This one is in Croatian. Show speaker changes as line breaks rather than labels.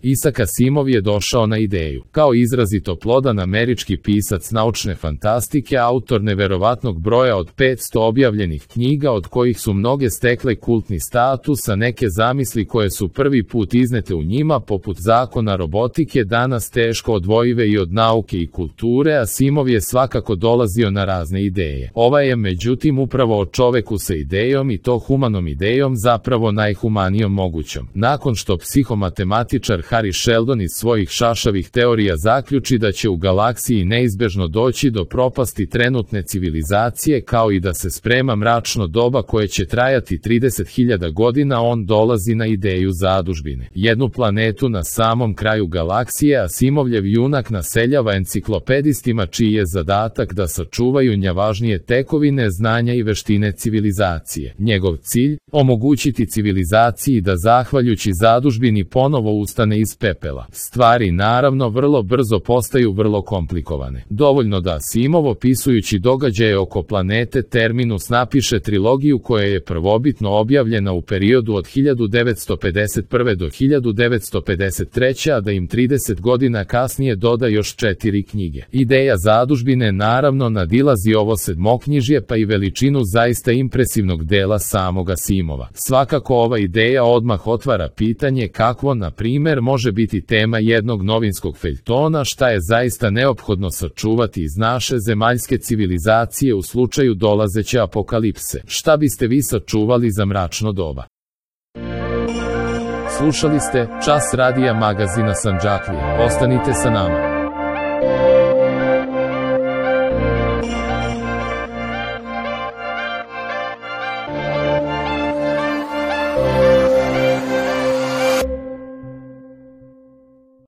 Isaac Asimov je došao na ideju. Kao izrazito plodan američki pisac naučne fantastike, autor neverovatnog broja od 500 objavljenih knjiga, od kojih su mnoge stekle kultni status, a neke zamisli koje su prvi put iznete u njima, poput zakona robotike, danas teško odvojive i od nauke i kulture, Asimov je svakako dolazio na razne ideje. Ova je međutim upravo o čoveku sa idejom, i to humanom idejom, zapravo najhumanijom mogućom. Nakon što psihomatematičar Harry Sheldon iz svojih šašavih teorija zaključi da će u galaksiji neizbežno doći do propasti trenutne civilizacije, kao i da se sprema mračno doba koje će trajati 30.000 godina, on dolazi na ideju zadužbine. Jednu planetu na samom kraju galaksije Asimovljev junak naseljava enciklopedistima, čiji je zadatak da sačuvaju najvažnije tekovine znanja i veštine civilizacije. Njegov cilj? Omogućiti civilizaciji da zahvaljujući zadužbini ponovo ustane iz pepela. Stvari naravno vrlo brzo postaju vrlo komplikovane. Dovoljno da Asimov, opisujući događaje oko planete Terminus, napiše trilogiju koja je prvobitno objavljena u periodu od 1951. do 1953. a da im 30 godina kasnije doda još 4 knjige. Ideja zadužbine naravno nadilazi ovo sedmoknjižje, pa i veličinu zaista impresivnog dela samog Asimova. Svakako ova ideja odmah otvara pitanje kakvo, na primjer, može biti tema jednog novinskog feljtona, šta je zaista neophodno sačuvati iz naše zemaljske civilizacije u slučaju dolazeće apokalipse. Šta biste vi sačuvali za mračno doba? Slušali ste Čas radija magazina Sandžaklija. Ostanite sa nama.